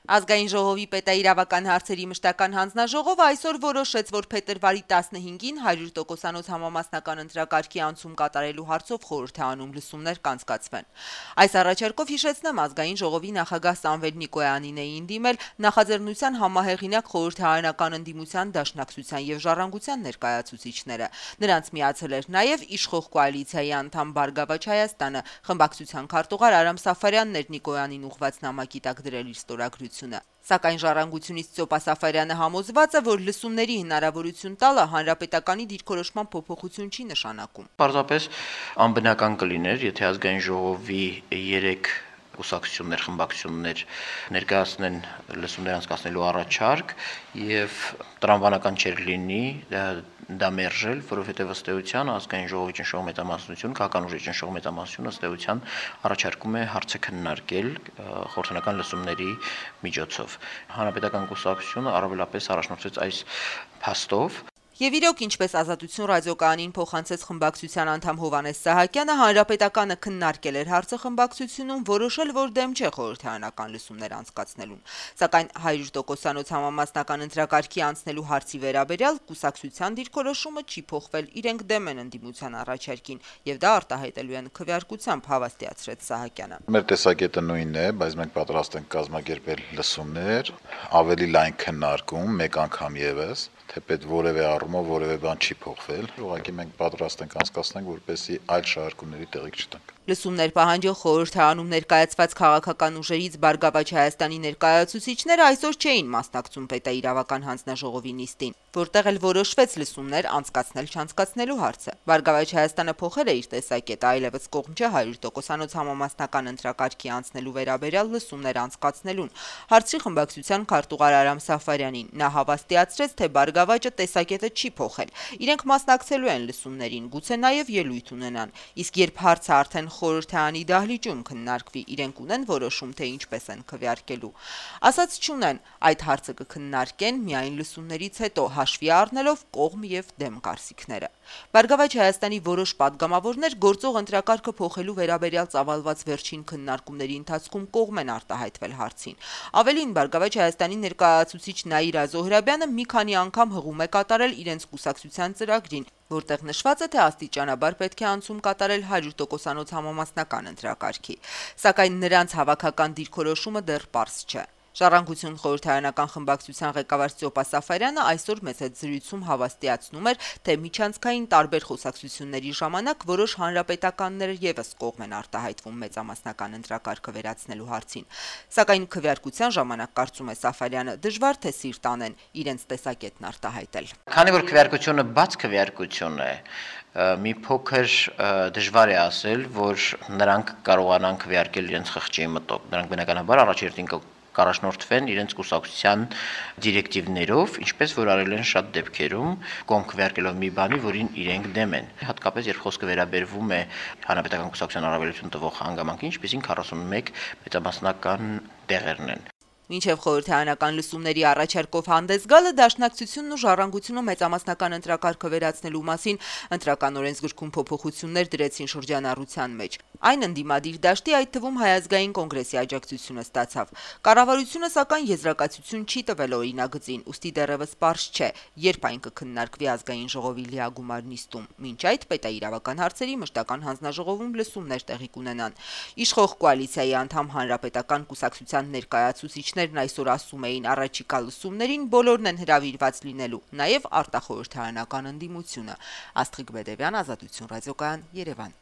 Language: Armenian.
Ազգային ժողովի պետաիրավական հարցերի մշտական հանձնաժողովը այսօր որոշեց, որ փետրվարի 15-ին 100%-անոց համամասնական ընտրակարգի անցում կատարելու հարցով խորհուրդ է անում լսումներ կանցկացվեն։ Այս առաջարկով հիշեցնեմ, ազգային ժողովի նախագահ Սամվել Նիկոյանին էին դիմել նախաձեռնության համահեղինակ խորհրդարանական ընդդիմության դաշնակցության եւ ժառանգության ներկայացուցիչները։ Նրանց միացել էր նաեւ իշխող կոալիցիայի անդամ Բարգավաճ Հայաստանը, խմբակցության քարտուղար Արամ Սաֆարյանն էր Նիկոյանին ուղղված նամակի տակ դրել իր ստորագրությունը։ Սակայն ժառանգությունից Ծոպա Սաֆարյանը համոզված է, որ լսումների հնարավորություն տալը հանրապետականի դիրքորոշման փոփոխություն չի նշանակում։ Պարզապես անբնական կլիներ, եթե ազգային ժողովի 3 կուսակցություններ, խմբակցություններ ներկայացնեն լսումներ անցկացնելու առաջարկ եւ տրամաբանական չէր լինի դա մերժել, որովհետեւ ըստ էության ազգային ժողովի ճնշող մեծամասնությունը, քաղաքական ուժի ճնշող մեծամասնությունը ըստ էության առաջարկում է հարցը քննարկել խորհրդանական լսումների միջոցով։ Հանրապետական կուսակցությունը առավելապես առաջնորդվեց այս փաստով։ Եվ իրոք, ինչպես Ազատություն ռադիոկայանին փոխանցեց խմբակցության անդամ Հովհաննես Սահակյանը, հանրապետականը քննարկել էր հարցը խմբակցությունում, որոշել, որ դեմ չէ խորհրդարանական լսումներ անցկացնելուն։ Սակայն 100%-անոց համամասնական ընտրակարգի անցնելու հարցի վերաբերյալ կուսակցության դիրքորոշումը չի փոխվել, իրենք դեմ են ընդդիմության առաջարկին, եւ դա արտահայտելու են քվեարկությամբ, հավաստիացրեց Սահակյանը։ Մեր տեսակետը նույնն է, բայց մենք պատրաստ ենք կազմակերպել լսումներ, ավելի լայն քննարկում, մեկ անգամ եւս, թեպետ որևէ առումով որևէ բան չի փոխվել, ուղղակի մենք պատրաստ ենք անցկացնենք, որպեսզի այլ շարժումների տեղիք չտանք։ Լսումներ պահանջող խորհրդարանում ներկայացված քաղաքական ուժերից Բարգավաճ Հայաստանի ներկայացուցիչները այսօր չէին մասնակցում պետաիրավական հանձնաժողովի նիստին, որտեղ էլ որոշվեց լսումներ անցկացնել-չանցկացնելու հարցը։ Բարգավաճ Հայաստանը փոխել է իր տեսակետը, այլևս կողմ չէ 100%-անոց համամասնական ընտրակարգի անցնելու վերաբերյալ լսումներ անցկացնելուն, հարցրի խմբակցության քարտուղար Արամ Սաֆարյանին։ Նա հավաստիացրեց, թե Բարգավաճը տեսակետը չի փոխել։ Իրենք մասնակցելու են լսումներին, գուցե նաև ելույթ ունենան։ Իսկ երբ հարցը արդեն խորհրդարանի դահլիճում քննարկվի, իրենք ունեն որոշում, թե ինչպես են քվեարկելու։ Ասած չունեն, այդ հարցը կքննարկեն միայն լսումներից հետո, հաշվի առնելով կողմ եւ դեմ կարծիքները։ Բարգավաճ Հայաստանի որոշ падգամավորներ գործող ընտրակարգը փոխելու վերաբերյալ ծավալված վերջին քննարկումների ընթացքում կողմ են արտահայտվել հարցին։ Ավելին, Բարգավաճ Հայաստանի ներկայացուցիչ Նաիրա Զոհրաբյանը մի քանի անգամ հղում է կատարել իրենց կուսակցության ծրագրին, որտեղ նշված է, թե աստիճանաբար պետք է անցում կատարել 100%-անոց համամասնական ընտրակարգի։ Սակայն նրանց հավաքական դիրքորոշումը դեռ պարզ չէ։ Ժառանգություն խորհրդարանական խմբակցության ղեկավար Ծոպա Սաֆարյանը այսօր մեծ հետ զրույցում հավաստիացնում էր, թե միջանցքային տարբեր խոսակցությունների ժամանակ որոշ հանրապետականներ եւս կողմ են արտահայտվում մեծամասնական ընտրակարգը վերացնելու հարցին։ Սակայն քվեարկության ժամանակ, կարծում է Սաֆարյանը, դժվար թե սիրտ անեն իրենց տեսակետն արտահայտել։ Քանի որ քվեարկությունը բաց քվեարկություն է, մի փոքր դժվար է ասել, որ նրանք կարողանան քվեարկել իրենց խղճի մտով։ Նրանք բնականաբար առաջերտին կառաջնորդվեն իրենց կուսակցության դիրեկտիվներով, ինչպես որ արել են շատ դեպքերում, կողմ քվեարկելով մի բանի, որին իրենք դեմ են։ Հատկապես երբ խոսքը վերաբերվում է հանրապետական կուսակցության առավելություն տվող հանգամանքին, ինչպեսին 41 մեծամասնական տեղերն են։ Մինչև խորհրդարանական լսումների առաջարկով հանդես գալը դաշնակցությունն ու ժառանգությունը մեծամասնական ընտրակարգը վերացնելու մասին ընտրական օրենսգրքում փոփոխություններ դրեցին շրջանառության մեջ։ Այն ընդդիմադիր դաշտի, այդ թվում Հայ ազգային կոնգրեսի աջակցությունը ստացավ։ Կառավարությունը սակայն եզրակացություն չի տվել օրինագծին, ուստի դեռևս պարզ չէ, երբ այն կքննարկվի ազգային ժողովի լիագումար նիստում։ Մինչ այդ պետաիրավական հարցերի մշտական հանձնաժողովում լսումներ տեղի կունենան։ Իշխող կոալիցիայի անդամ Հանրապետական կուսակցության ներկայացուցիչներն այսօր ասում էին, առաջիկա լսումներին բոլորն են հրավիրված լինելու, նաև արտախորհրդարանական ընդդիմությունը։ Աստղիկ Բեդևյան, Ազատություն ռադիոկայան, Երևան։